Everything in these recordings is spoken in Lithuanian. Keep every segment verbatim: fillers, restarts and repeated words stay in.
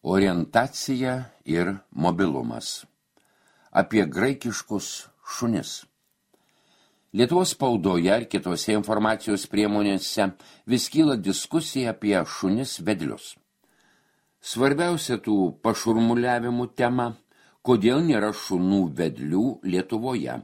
Orientacija ir mobilumas. Apie graikiškus šunis. Lietuvos spaudoje ir kitose informacijos priemonėse vis kyla diskusija apie šunis vedlius. Svarbiausia tų pašurmuliavimų tema, kodėl nėra šunų vedlių Lietuvoje.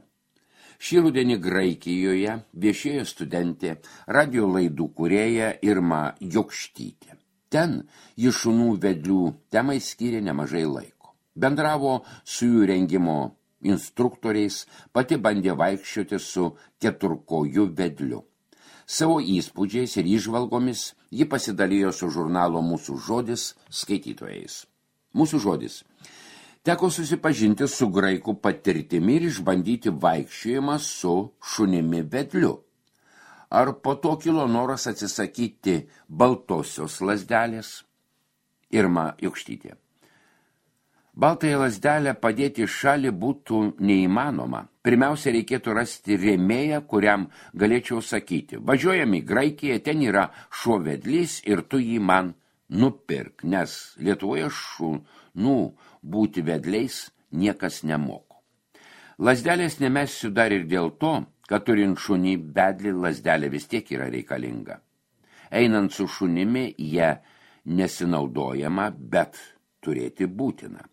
Šį rudenį Graikijoje viešėjo studentė, radio laidų kūrėja Irma Jokštytė. Ten ji šunų vedlių temai skyrė nemažai laiko. Bendravo su jų rengimo instruktoriais, pati bandė vaikščioti su keturkojų vedliu. Savo įspūdžiais ir įžvalgomis ji pasidalijo su žurnalo Mūsų žodis skaitytojais. Mūsų žodis. Teko susipažinti su graikų patirtimi ir išbandyti vaikščiojimą su šunimi vedliu. Ar po to kilo noras atsisakyti baltosios lazdelės? Irma Jokštytė. Baltąją lazdelę padėti į šalį būtų neįmanoma. Pirmiausia, reikėtų rasti rėmėją, kuriam galėčiau sakyti. Važiuojam į Graikiją, ten yra šuo vedlys ir tu jį man nupirk, nes Lietuvoje šunų būti vedliais niekas nemoko. Lazdelės nemesiu dar ir dėl to, kad turint šunį vedlį lazdelė vis tiek yra reikalinga. Einant su šunimi, jie nesinaudojama, bet turėti būtina.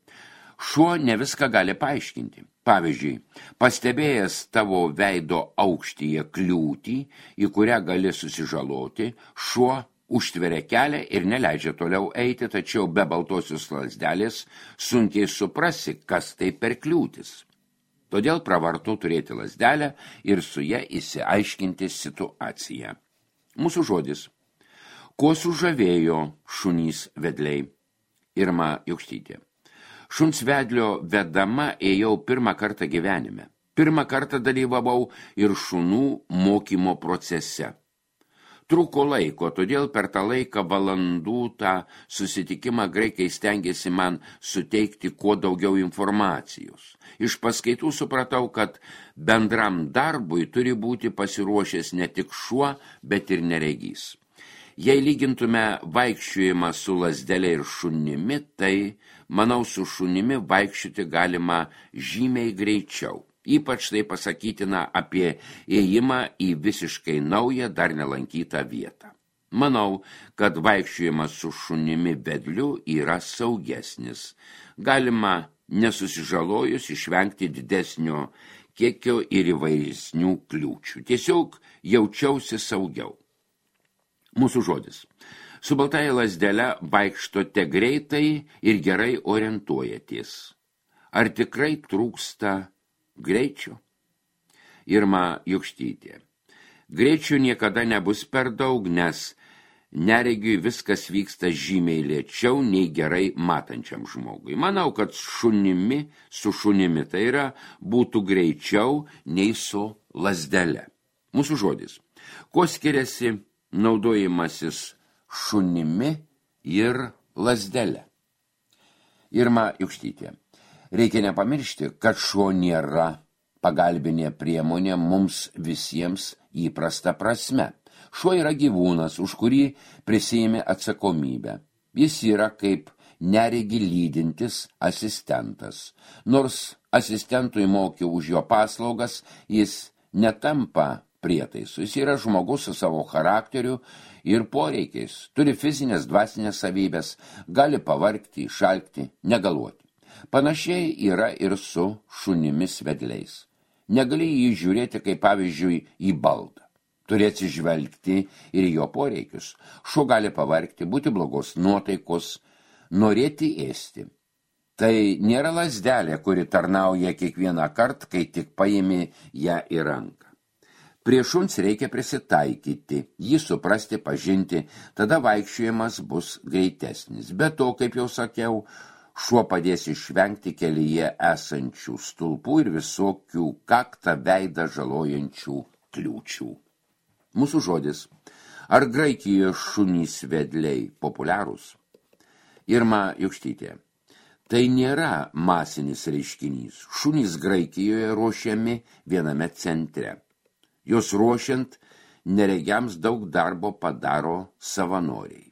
Šuo ne viską gali paaiškinti. Pavyzdžiui, pastebėjęs tavo veido aukštyje kliūtį, į kurią gali susižaloti, šuo užtveria kelią ir neleidžia toliau eiti, tačiau be baltosios lazdelės sunkiai suprasi, kas tai per kliūtis. Todėl pravartu turėti lazdelę ir su ja įsiaiškinti situaciją. Mūsų žodis. Kuo sužavėjo šunys vedliai? Irma Jokštytė. Šuns vedlio vedama ėjau pirmą kartą gyvenime. Pirmą kartą dalyvavau ir šunų mokymo procese. Trūko laiko, todėl per tą laiką valandų tą susitikimą graikai stengiasi man suteikti kuo daugiau informacijos. Iš paskaitų supratau, kad bendram darbui turi būti pasiruošęs ne tik šuo, bet ir neregys. Jei lygintume vaikščiojimą su lazdelė ir šunimi, tai, manau, su šunimi vaikščioti galima žymiai greičiau. Ypač tai pasakytina apie ėjimą į visiškai naują, dar nelankytą vietą. Manau, kad vaikščiojimas su šunimi vedliu yra saugesnis. Galima nesusižalojus išvengti didesnio kiekio ir įvairesnių kliūčių. Tiesiog jaučiausi saugiau. Mūsų žodis. Su baltąja lazdele vaikštote greitai ir gerai orientuojatės. Ar tikrai trūksta greičio? Irma Jokštytė. Greičio niekada nebus per daug, nes neregiui viskas vyksta žymiai lėčiau nei gerai matančiam žmogui. Manau, kad šunimi, su šunimi tai yra būtų greičiau nei su lazdele. Mūsų žodis. Kuo skiriasi naudojimasis šunimi ir lazdele? Irma Jokštytė. Reikia nepamiršti, kad šuo nėra pagalbinė priemonė mums visiems įprasta prasme. Šuo yra gyvūnas, už kurį prisiėmė atsakomybę. Jis yra kaip neregi lydintis asistentas. Nors asistentui mokė už jo paslaugas, jis netampa prietaisu. Jis yra žmogus su savo charakteriu ir poreikiais. Turi fizinės, dvasinės savybės, gali pavargti, išalkti, negaluoti. Panašiai yra ir su šunimis vedliais. Negali jį žiūrėti kaip pavyzdžiui į baldą. Turi atsižvelgti ir jo poreikius. Šuo gali pavargti, būti blogos nuotaikos, norėti ėsti. Tai nėra lazdelė, kuri tarnauja kiekvieną kartą, kai tik paimi ją į ranką. Prie šuns reikia prisitaikyti, jį suprasti, pažinti, tada vaikščiojimas bus greitesnis. Be to, kaip jau sakiau, šuo padės išvengti kelyje esančių stulpų ir visokių kaktą veidą žalojančių kliūčių. Mūsų žodis. Ar Graikijoje šunys vedliai populiarūs? Irma Jokštytė. Tai nėra masinis reiškinys. Šunys Graikijoje ruošiami viename centre. Jos ruošiant neregiams daug darbo padaro savanoriai.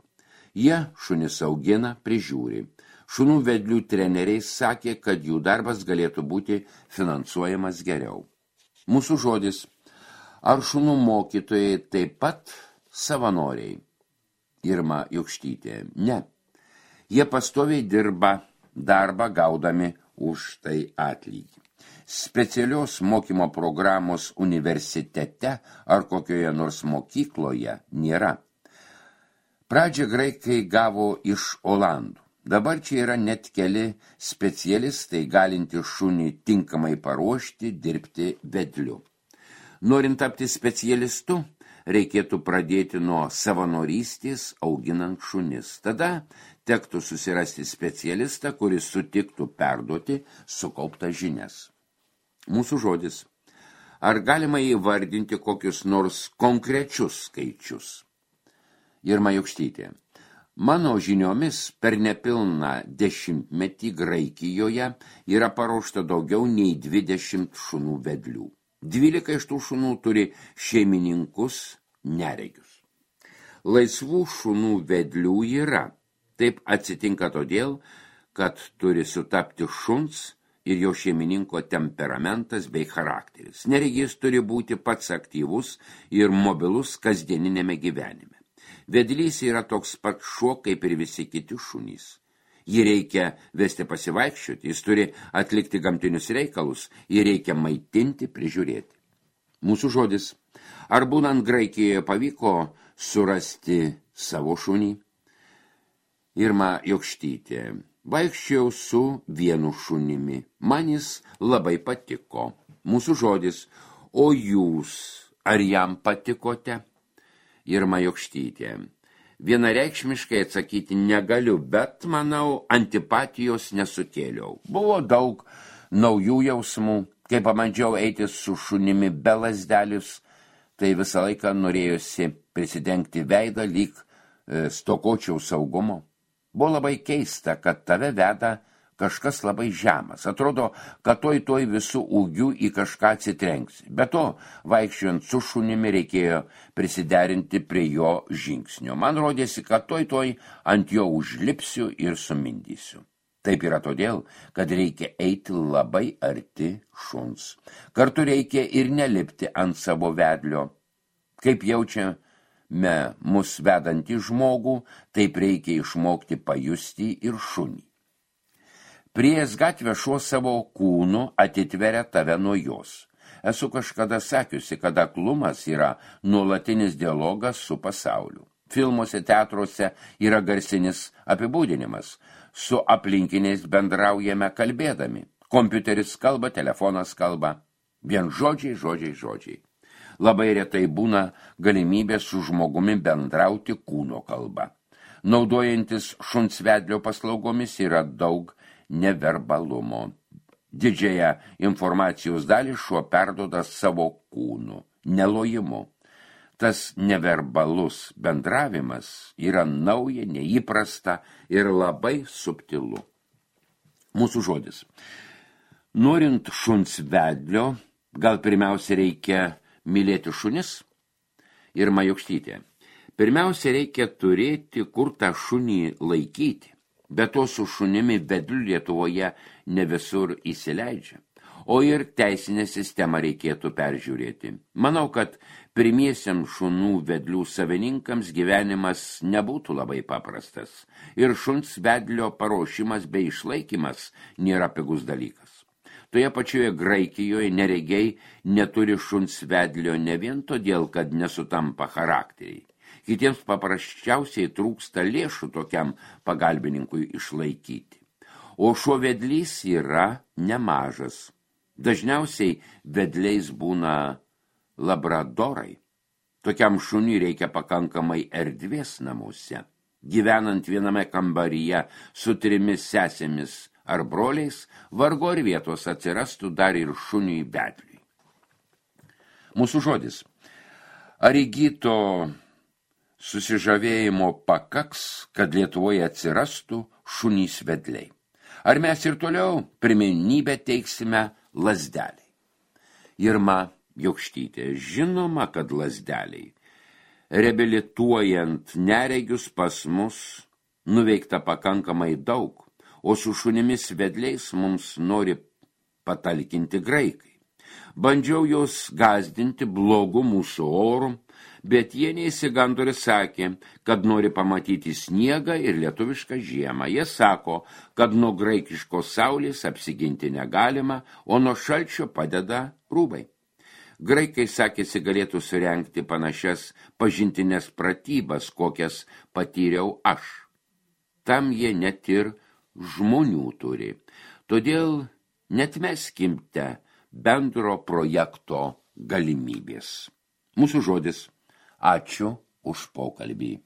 Jie šunis augina, prižiūri. Šunų vedlių treneriai sakė, kad jų darbas galėtų būti finansuojamas geriau. Mūsų žodis. Ar šunų mokytojai taip pat savanoriai? Irma Jokštytė. Ne. Jie pastoviai dirba darbą gaudami už tai atlygį. Specialios mokymo programos universitete ar kokioje nors mokykloje nėra. Pradžią graikai gavo iš Olandų. Dabar čia yra net keli specialistai galinti šunį tinkamai paruošti, dirbti vedliu. Norint tapti specialistu, reikėtų pradėti nuo savanorystės auginant šunis. Tada tektų susirasti specialistą, kuris sutiktų perduoti sukauptas žinias. Mūsų žodis. Ar galima įvardinti kokius nors konkrečius skaičius? Irma Jokštytė. Mano žiniomis per nepilną dešimtmetį Graikijoje yra paruošta daugiau nei dvidešimt šunų vedlių. Dvylika iš tų šunų turi šeimininkus neregius. Laisvų šunų vedlių yra. Taip atsitinka todėl, kad turi sutapti šuns ir jo šeimininko temperamentas bei charakteris. Neregys turi būti pats aktyvus ir mobilus kasdieninėme gyvenime. Vedlys yra toks pat šuo, kaip ir visi kiti šunys. Jį reikia vesti pasivaikščioti, jis turi atlikti gamtinius reikalus, jį reikia maitinti, prižiūrėti. Mūsų žodis. Ar būnant Graikijoje pavyko surasti savo šunį? Irma Jokštytė. Vaikščiau su vienu šunimi. Man jis labai patiko. Mūsų žodis. O jūs, ar jam patikote? Irma Jokštytė. Vienareikšmiškai atsakyti negaliu, bet, manau, antipatijos nesukėliau. Buvo daug naujų jausmų. Kai pamandžiau eiti su šunimi be lazdelius, tai visą laiką norėjosi prisidengti veidą, lyg e, stokočiau saugumo. Buvo labai keista, kad tave veda kažkas labai žemas. Atrodo, kad toj toj visų ūgių į kažką atsitrenksi. Be to, vaikščiojant su šunimi reikėjo prisiderinti prie jo žingsnio. Man rodėsi, kad toj toj ant jo užlipsiu ir sumindysiu. Taip yra todėl, kad reikia eiti labai arti šuns. Kartu reikia ir nelipti ant savo vedlio. Kaip jaučiame mus vedantį žmogų, taip reikia išmokti pajusti ir šunį. Priėjęs gatvę šuo savo kūnu atitveria tave nuo jos. Esu kažkada sakiusi, kad aklumas yra nuolatinis dialogas su pasauliu. Filmuose, teatruose yra garsinis apibūdinimas. Su aplinkiniais bendraujame kalbėdami. Kompiuteris kalba, telefonas kalba. Vien žodžiai, žodžiai, žodžiai. Labai retai būna galimybė su žmogumi bendrauti kūno kalba. Naudojantis šuns vedlio paslaugomis yra daug neverbalumo. Didžiąją informacijos dalį šuo perduoda savo kūnu, nelojimu. Tas neverbalus bendravimas yra nauja, neįprasta ir labai subtilu. Mūsų žodis. Norint šuns vedlio, gal pirmiausia reikia mylėti šunis? Irma Jokštytė. Pirmiausia reikia turėti, kur tą šunį laikyti. Be to su šunimi vedliu Lietuvoje ne visur įsileidžia. O ir teisinę sistemą reikėtų peržiūrėti. Manau, kad pirmiesiams šunų vedlių savininkams gyvenimas nebūtų labai paprastas. Ir šuns vedlio paruošimas bei išlaikymas nėra pigus dalykas. Toje pačioje Graikijoje neregiai neturi šuns vedlio ne vien todėl, kad nesutampa charakteriai. Kitiems paprasčiausiai trūksta lėšų tokiam pagalbininkui išlaikyti. O šuo vedlys yra nemažas. Dažniausiai vedliais būna labradorai. Tokiam šuniui reikia pakankamai erdvės namuose. Gyvenant viename kambaryje su trimis sesėmis ar broliais, vargu ar vietos atsirastų dar ir šuniui vedliui. Mūsų žodis. Ar įgyto susižavėjimo pakaks, kad Lietuvoje atsirastų šunys vedliai? Ar mes ir toliau pirmenybę teiksime lazdeliai? Irma Jokštytė. Žinoma, kad lazdeliai. Reabilituojant neregius pas mus nuveikta pakankamai daug, o su šunimis vedliais mums nori patalkinti graikai. Bandžiau jos gazdinti blogu mūsų oru, bet jie neįsigando ir sakė, kad nori pamatyti sniegą ir lietuvišką žiemą. Jie sako, kad nuo graikiškos saulės apsiginti negalima, o nuo šalčio padeda rūbai. Graikai sakėsi galėtų surengti panašias pažintinės pratybas, kokias patyriau aš. Tam jie net ir žmonių turi. Todėl netmeskimte bendro projekto galimybės. Mūsų žodis. Ačiū už pokalbį.